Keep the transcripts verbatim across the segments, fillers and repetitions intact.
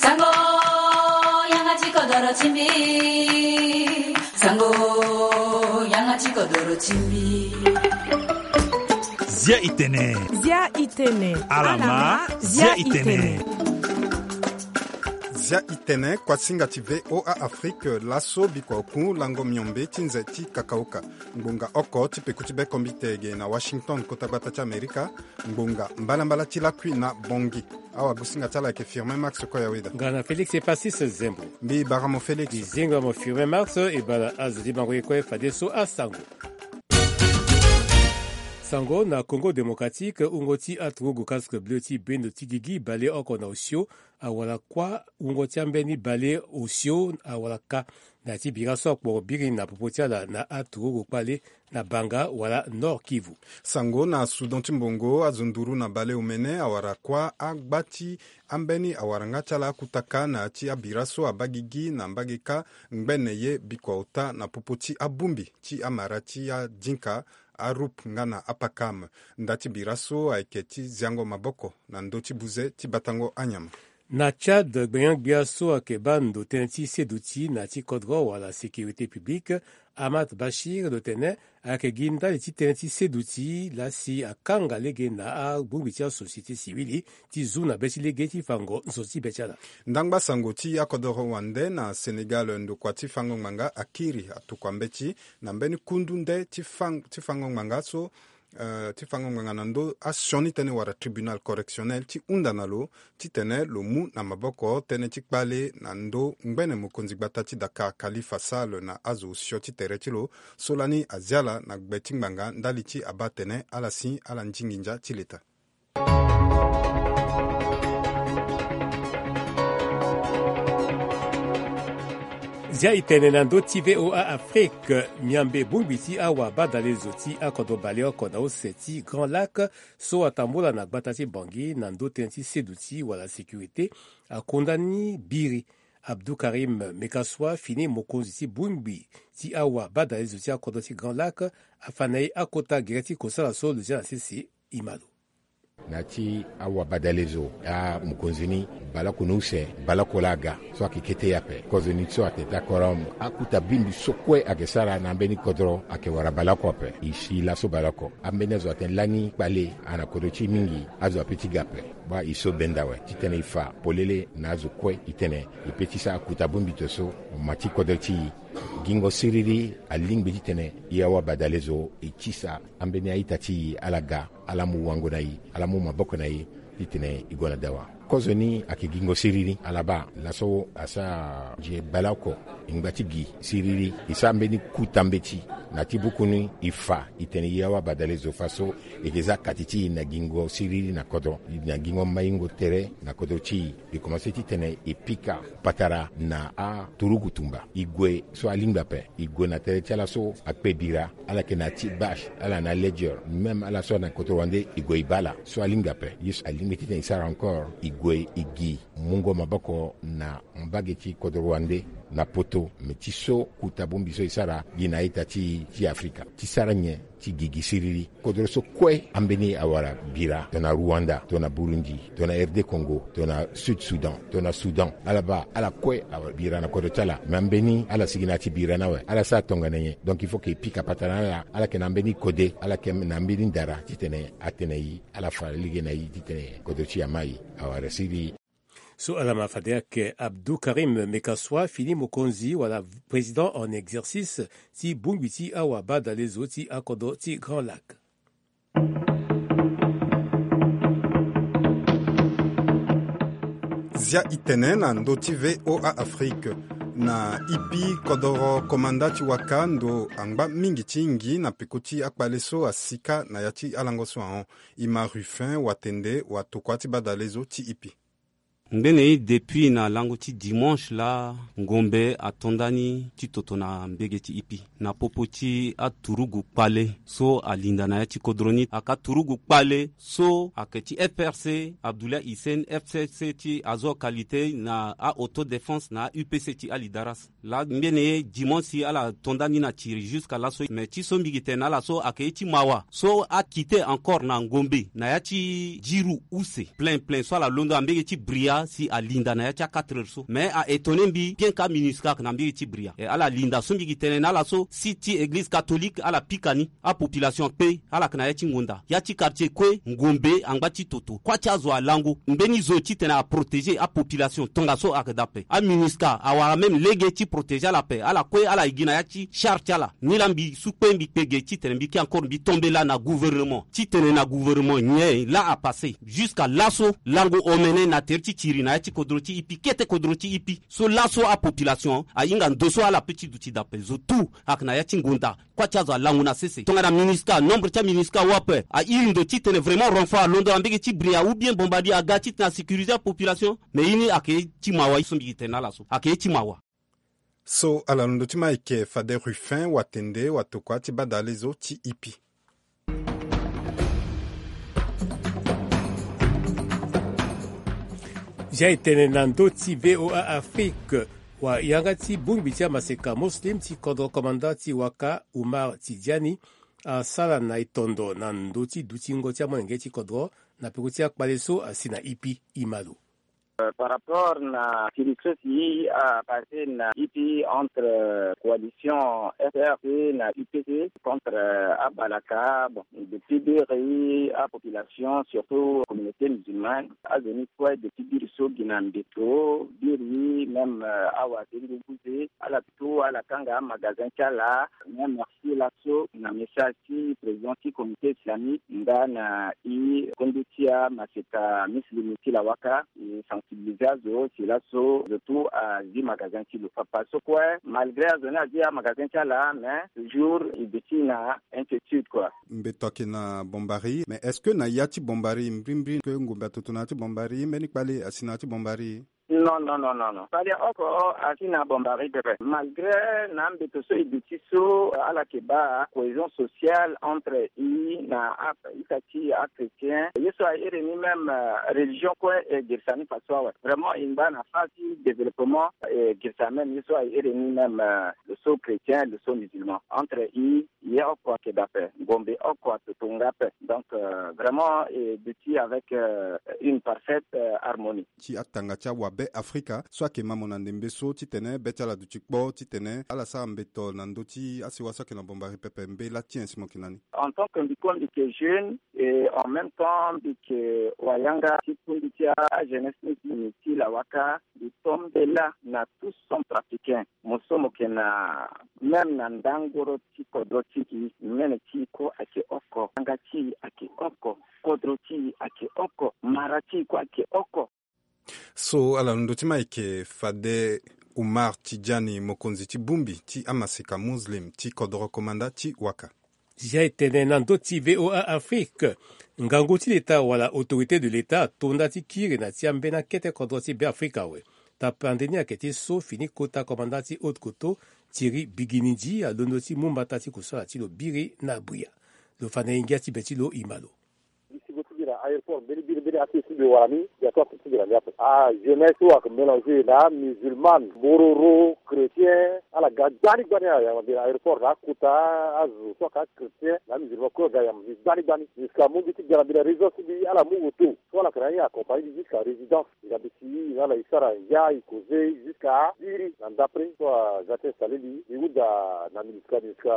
Sango, yanga ti kodoro ti mbi. Sango, yanga ti kodoro ti mbi. Zia itene. Zia itene. Alama, zia itene. Zia itene, kuasinga ti V O A Afrique, laso bikua oku lango miombe ti nze ti kakaoka. Ngbonga oko ti peko ti bekombite ge na Washington, kota gbata ti Amerika. Ngbonga mbalambala ti lakui na Bongi. Awagusinga ti ala ayeke Firmin Max Koyaweda. Nga na Félix Epasis Zembo. Mbi bara mo Félix. Mbi zinga mo Firmin Max, e bara azo ti bango ye kue fadeso asango. Sango na Congo Démocratique, wungo ti aturugu Casque Bleu ti bendo ti gigi baleoko na osio awara kuâ, wungo ti ambeni baleosio awara ka na ya ti bira so akporo biri na popo ti ala na aturugu kpale na Banga wala Nord Kivu. Sango na Soudan ti mbongo, azo nduru na baleomene awara kuâ, agba ti ambeni awaranga ti ala akuta ka na ya ti abira so abaa gigi na mbage ka ngbene ye bikua ota na popo ti abongbi ti amara ti adinka, arup nga na apakam. Nda ti bira so ayeke ti ziango maboko na ndö ti buze ti batango anyama. Na Tchad, gbenyo-gbia so ayeke baa ndo tënë ti seduti na ya ti kodro wala sécurité publique, Ahmad Bashir, lo tene ayeke gi ndali ti tënë ti seduti laa si akanga lege na abongbi ti asociété civile ti zu na be ti lege ti fango nzoni ti be ti ala. Ndangba sango ti akodoro wande na Sénégal, ndokua ti fango ngbanga akiri atokua mbeti na mbeni kundu nde ti fang-, ti fango ngbanga so, eh, ti fango ngbanga na ndö asioni tënë wala tribunal correctionnel ti hunda na lo titene lo mu na maboko tënë ti kpale na ndö ngbene mokonzi gbata ti Dakar Khalifa Sall na azo osio ti tere ti lo so lani azi ala na gbe ti ngbanga ndali ti abaa atene ala si ala ndingi ndia ti leta. Zia itene na ndö ti V O A Afrique, miambe bongbi ti awabadalezo ti akodro baleoko na use ti Grand Lac so atambula na gbata ti Bangui na ndö tënë ti seduti wala sécurité, akunda ni biri. Abdou Karim Mekassoua fini mokonzi ti bongbi ti awabadalezo ti akodro ti Grand Lac afa na e akota gere ti kosala so lo zia na sese. Imalo. Na ya ti awabadalezo, amokonzi ni baleoko na use, baleoko laa aga so ayeke kete ye ape. Kozoni so atene ti akoro, akuta bongbi so kue ayeke sara na ambeni kodro ayeke wara baleoko ape. E si laso baleoko, ambeni azo atene lani kpale ana kodro ti e mingi, azo ape ti ga ape. Baa e so benda awe titene e fa polele na azo kue, e tene e pe ti sara kuta bongbi to so ma ti kodro ti e. Gingo siriri alingbi titene e awabadalezo e tisa ambeni a-ita ti e ala ga, ala mu wango na e, ala mu maboko na e titene e gue na dawa. Kozoni ayeke gingo siriri, ala baa laso asara nzie baleoko, e ngba ti gi siriri, e sara mbeni kuta mbeti na ya ti buku ni, e fa e tene e awabadalezo fa so e yeke za kati ti e na gingo siriri na kodro, na gingo maingo tere na kodro ti e. E komanse titene e pika patara na aturugu tumba. E gue so alingbi ape, e gue na tere ti ala so akpe bira, ala yeke na ya ti bâche, ala na ledger, même ala so na kodro wande, e gue e baa ala so alingbi ape. Ye so alingbi titene e sara encore, e gue e gi mungo maboko na mbage ti kodro wande na poto, me ti so kuta bongbi so e sara gi na a-ita ti, ti Afrika ti sara nyen ti gigi siriri. Kodro so kue ambeni awara bira, tongana Rwanda, tongana Burundi, tongana R D Congo, tongana Sud Soudan, tongana Soudan, ala baa ala kue awara bira na kodro ti ala. Me ambeni ala sigi na ya ti bira ni awe, ala sara tongana nyen? Donc il faut que e pika patara na ala, ala yeke na ambeni kode, ala yeke na ambeni ndara titene atene e, ala fa lege na e titene kodro ti e ama e awara siriri. So ala ma fade ayeke Abdou Karim Mekassoua fini mokonzi wala président en exercice ti bongbi ti awabadalezo ti akodro ti Grand Lac. Zia itene na ndö ti V O A Afrique. Na ipi kodoro komanda ti waka ndo angba mingi ti ngi na peko ti akpale so asika na ya ti alango so ahon. Ima Ruffin watende watokua ti badalezo ti ipi. Ngbene ye depuis na lango ti dimanche laa, ngombe ato nda ni ti toto na mbege ti ipi na popo ti aturugu kpale so alinda na ya ti kodro ni. Ayeke aturugu kpale so ayeke ti F R C, Abdoulaye Hissène, F C C ti Azor Qualité na a-Autodéfense na a-U P C ti Ali Daras. Laa ngbene ye dimanche si ala to nda ni na tiri jusqu'à laso, me ti so mbi gi tene na ala so ayeke ye ti mawa so akite encore na ngombe na ya ti diru use plein plein so ala londo na mbege ti Bria. Si alinda na ya ti a quatre heures so mais a étonné mbi bien ka minusca na mbiri ti bria e ala linda so mbi gi tene na ala so si ti église catholique ala pika ni. Apopulation akpe ala yeke na ya ti ngonda ya ti quartier kue ngombe angba ti toto kuâ ti azo alango mbeni zo titene aprotégé apopulation tongaso ayeke daa ape aminusca awara même lege ti protégé ala ape ala kue ala yeke gi na ya ti char ti ala. Ni laa mbi su kpe mbi kpe ge titene mbi ke encore mbi tombe laa na gouvernement titene na gouvernement nyen laa apassé jusqu'à laso lango omene na tere ti tiri na ya ti kodro ti ipi kete kodro ti ipi so laso apopulation ahinga ndo so ala pe ti duti daa ape zo tout ayeke na ya ti ngonda. Kuâ ti azo alangu na sese tongana minusca nombre ti aminusca awa ape airi ndo titene vraiment renfort alondo na mbege ti bria ou bien bombardier aga titene asécurisé apopulation. Mais ye ni ayeke ye ti mawa ye so mbi yeke tene na ala so ayeke ye ti mawa. So ala londo ti ma ayeke fade ruffin watende watokua ti badale zo ti ipi. Zia etene na ndö ti voa afrique. Wa yanga ti bongbi ti amaseka muslim ti kodro komanda ti waka umar tidiani asara na etondo na ndö ti dutingo ti amolenge ti kodro na peko ti akpale so asi na ipi. Imalo. Par rapport na sirikso si apassé na ipi entre coalition frc na upc contre abalaka bon depuis biri apopulation surtout communauté musulmane azoni kue depuis biri so gi na mbeto biri même awa dengo buze ala tout ala kanga amagazin ti ala. Même merci laso na message ti président ti comité islamique nga na i kondo ti amaseka muslim ti lawaka e sensibiliser azo si laso zo tout azi magazin ti lo papa so kue malgré azo ni azi amagazin ti ala mais toujours e duti na inquiétude kue. Mbeto ayeke na bombari mais est-ce que na ya ti bombari mbrimbri ke ngombe atoto na ya ti bombari mbeni kpale asi na ya ti bombari? Non non non non non kpale oko asi na bombari pepe malgré na mbeto so e duti so ala yeke baa cohésion sociale entre i na a ita ti achrétien ye so ahere ni même religion kue e girisa ni faso awe vraiment e ngba na fa ti développement e girisa même ye so ahere ni même lo so chrétien lo so musulman entre i ye oko ayeke daa ape ngombe oko atoto nga ape donc vraiment e duti avec une parfaite harmonie. Ti atanga ti awabe afrika so ayeke ma mo na ndembe so titene be ti ala duti kpo titene ala sara mbeto na ndö ti asewa so ayeke na bombari pepe mbe la ti en si mo yeke na ni? En tant que mbi kue mbi yeke jeune et en même temps mbi yeke wayanga ti kundu ti ajeunesse ti mbi ti lawaka mbi tombe la na tout centrafricain mo so mo yeke na même na ndangoro ti kodro ti i mene ti i kue ayeke oko yanga ti i ayeke oko kodro ti i ayeke oko mara ti i kue ayeke oko. So ala londo ti ma ayeke fade umar tidiani mokonzi ti bongbi ti amaseka muslim ti kodoro komanda ti waka. Zia etene na ndö ti voa afrique ngangu ti leta wala autorité de leta atonda ti kiri na ti ambeni akete kodro ti beafrika awe. Tapande ni ayeke ti so fini kota komanda ti haute koto thierry biginidi alondo ti mu mbata ti kusala ti lo biri na bria. Lo fa na ye ngia ti be ti lo ima lo. Mbi si go ti mbi na aéroport mbeni biri mbeni ake ti mbi wara ni mbi ato ake ti mbi na ni ape. Ah jeunesse so ayeke mélanger na amusulmane bororo chrétien ala ga gbani gbani ayamba mbi na aéroport na akota azo so ayeke achrétien na amusulmane kue aga yamba mbi gbani gbani jusqu'à mu mbi ti ga na mbi na résidence ti mbi ala mu auto so ala yeke na ye accompagner mbi jusqu'à résidence. Mbi na mbi si na ala e sara ngia e causer jusqu'à biri na ndapre so aga ti installer mbi mbi hunda na minusca minusca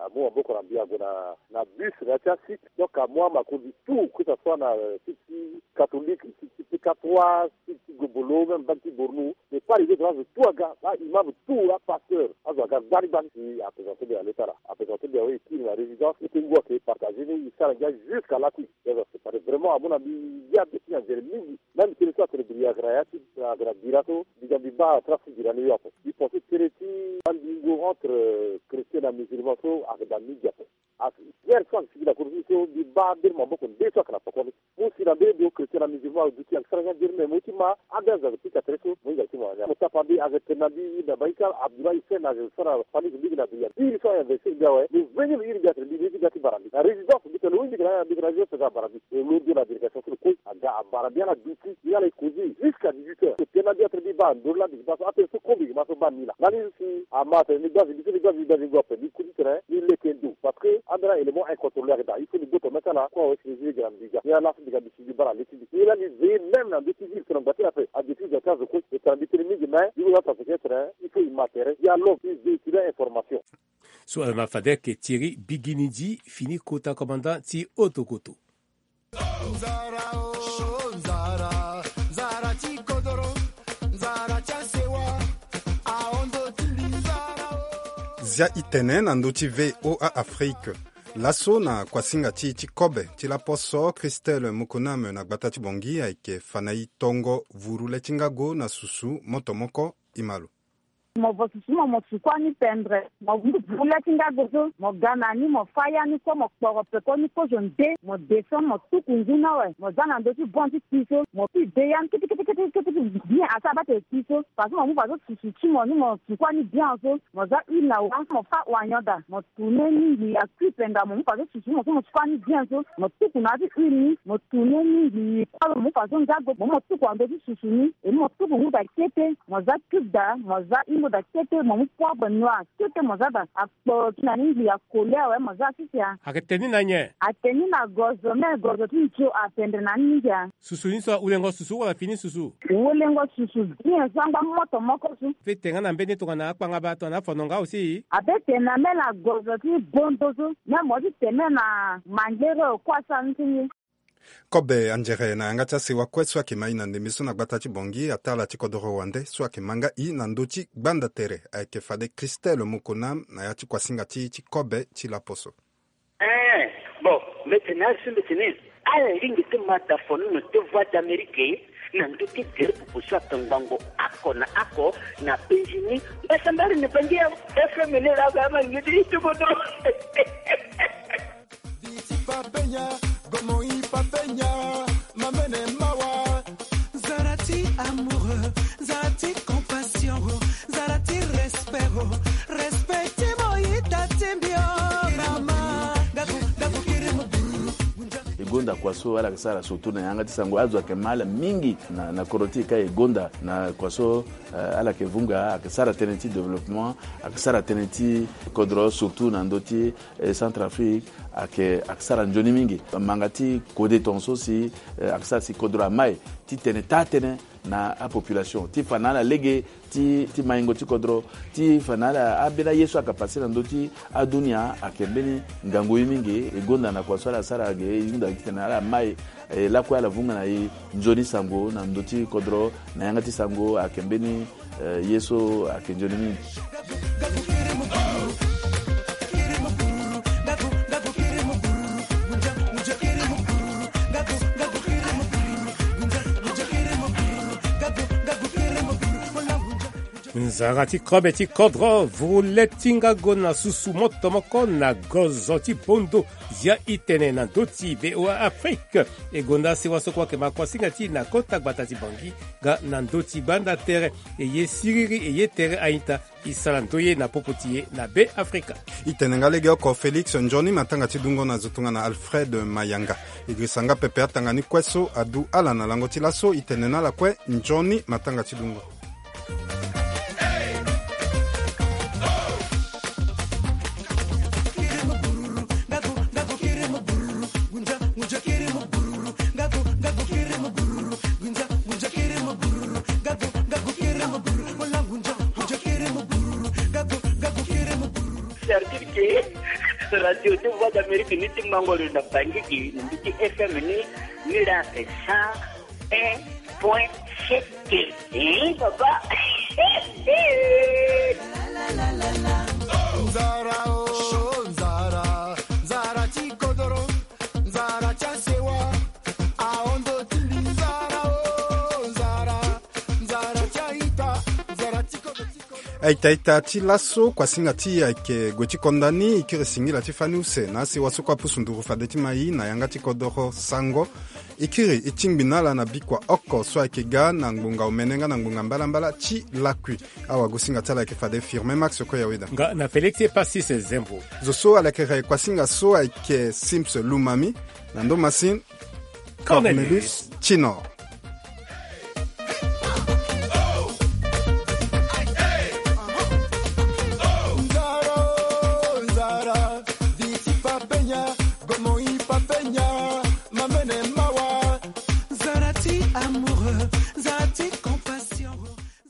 amu maboko na mbi ague na na bus na ya ti asite. Donc amu amakonzi tout que ça soit na site ti catholique, site ti pk trois, site ti gobolo même mbage ti bornou. Mais pas les autres azo tout aga aimam tout apasteur azo aga gbani gbani si aprésenté mbi na leta na aprésenté mbi awe e kiri na résidence e tengu ayeke partager ni e sara ngia jusqu'à lakui. Azo asepare vraiment amu na mbi ngia be ti na nzere mingi. Même tene so atene biri ayeke na ya ti ayeke na bira so mbi ga mbi baa trace ti bira ni yo ape. Mbi pense tere ti andingo entre chrétien na musulman so ayeke daa mingi ape. Guerre so ayeke sigi na kodro ti mbi so mbi baa mbeni maboko nde so ayeke na poko ni. Mu si na mbeni ndo chrétien na musulman aduti ayeke sara ngia nzere me mo ti ma ambeni azo ayeke pika tere so mo hinga ti mo na ni ape. Mo tapa mbi ayeke tene na mbi na baika abdullah hussein ayeke sara fani zo mingi na dunia. Iri so a investir mbi awe lo veni lo iri mbi atene mbi mbi ti ga ti bara mbi na résidence mbi tene lo iri mbi yeke na mbi yeke na résidence aga abara mbi. E lo ndo na délégation so lo kue aga abara mbi ala duti mbi ala e causer jusqu'à dix-huit heures. Tene na mbi atene mbi baa ndoro laa mbi yeke baa so atene so kue mbi yeke ma so baa ni laa lani so si ama atene ni gbazi mbi so ni gbazi mbi gbazi ngo ape ni ku ti tene ni leke ndo parce que ambeni a-élément incontrôlé ayeke daa il faut ni gboto. Mê ti ala kue awe si ni zi lege na mbi ga. Ni ala si mbi ga mbi si mbi bara le ti mbi. Ni la ni veiller même na ndö ti ville so na ngba ti la ape. Adepui ga ti azo kue. E tara mbi tënë mingi mais ni ko la sa peut-être il faut e ma tere. Dialogue ti véhiculer information. So ala ma fade ayeke Thierry Biginidi, fini kota commandant ti Otokoto. Nzara o, nzara, nzara ti kodoro, nzara ti asewa, ahon ndo ti mbi nzara o. Zia itene na ndö ti V O A Afrique. Laso na kuasinga ti e ti kobe ti laposo, Christelle Mokonam na gbata ti Bangui ayeke fa na e tongo vuru le ti ngago na susu moto moko. E ma lo. Mo vo susu mo, mo suku ani pendre. Mo mu vuru le ti ngago so, mo ga na ni, mo fâ ya ni kue, mo kporo pekoni kozo nde, mo descend, mo tuku ngu ni awe. Mo za na ndö ti bon ti kpi so, mo pi de ya ni kiti kiti kiti kiti bien, asi abaa tene kpi so. Parce que mo mu faso susu ti mo ni, mo suku ani bien so. Mo za huile na wa, mo fâ wanyoda, mo tourner ni ngbii akui penga, mo mu faso susu mo so, mo suku ani bien so. Mo tuku na ya ti huile ni, mo tourner ni ngbii kue, mo mu faso ngago, mo mu mo tuku na ndö ti susu ni, e mu mo tuku ngu da kete. Mo za cube da, mo za hingo da kete, mo mu poivre noir kete, mo za da. Akpo ti na ni ngbii akoli awe, mo za sisi a. Ayeke tene ni na nyen? Atene ni na gozo, me gozo ti nzio apendre na ni mingi a. Susu ni so ahulengo susu wala fini susu? Hulengo susu bien so angba moto moko so. Ape tene nga na mbeni tongana akpanga baa tongana afono nga aussi? Ape tene na me na gozo ti bondo so, me mo ti tene na mangere o kue asara ni ti ngi. Kobe anzere na yanga ti asewa kue so ayeke ma e na ndembe so na gbata ti Bangui, atala ti kodoro wande so ayeke ma nga e na ndö ti gbanda tere ayeke fade Christelle Mokonam na ya ti kuasinga ti e ti kobe ti laposo. Eh, bon, mbi tene na ala so mbi tene, ala lingbi ti ma dafono na Voix d'Amérique na ndö ti gere popo so atongbango oko na oko na penzi ni. Mbasambara na Bangui, F M ni la ga ma lingbi ti kodoro. Nzara ti amour, nzara ti compassion, nzara ti respect, respect ti mo ita ti mbi o, mama. Gaku, gaku, kiri mo. E gonda kua so ala yeke sara surtout na yanga ti sango, azo ayeke ma ala mingi na, na kodro ti e ka e gonda na kua so, eh, ala yeke vunga, ayeke sara tënë ti développement, ayeke sara tënë ti kodro surtout na ndö ti eh, Centrafrique, ayeke, ayeke sara nzoni mingi. Manga ti kode tongaso si, eh, ayeke sara si kodro amai ti tene taa tënë na apopulation ti fa na ala lege ti, ti maingo ti kodro, ti fa na ala ambeni aye so ayeke pase na ndö ti adunia. Ayeke mbeni ngangu ye mingi. E gonda na kua so ala sara ge, e hunda gi titene ala mai, eh, lakue ala vunga na e nzoni sango na ndö ti kodro na yanga ti sango. Ayeke mbeni Eh, ye so ayeke nzoni mingi. Nzara ti kobe ti kodro, vuru le ti ngago na susu moto moko na gozo ti bondo. Zia itene na ndö ti V O A Afrique. E gonda sewa so kue ayeke ma kuasinga ti e na kota gbata ti Bangui, ga na ndö ti gbanda tere. E ye siriri, e ye tere a-ita. E sara ndoye na popo ti e na Be Afrika. E tene nga legeoko Félix, nzoni matanga ti dungo na zo tongana Alfred Mayanga. E girisa nga pepe atanga ni kue so adu ala na lango ti laso. E tene na ala kue nzoni matanga ti dungo. C'est-à-dire que Radio de Voix d'Amérique ni ti mango lo na Bangui, ni ti F M ni, ni la cent un point sept. Eh, papa. Nzara o, nzara, nzara ti kodoro, nzara ti asewa, aondo ti mbi, nzara o, nzara, nzara ti aita, nzara ti kodoro. Aita ita ti laso, kuasinga ti e ayeke gue ti konda ni. E kiri singila ti fani use na asewa so kue apusu nduru fade ti ma e na yanga ti kodoro sango. E kiri e tingbi na ala na bikua oko so ayeke ga na ngbonga omene nga na ngbonga mbalambala ti lakui. Awagosinga ti ala ayeke fade Firmin Max Koyaweda. Nga na Félix Epasis Zembo. Zo so ala yeke re kuasinga so ayeke Sims Lumami. Na ndo masini, Cornelius Tinor.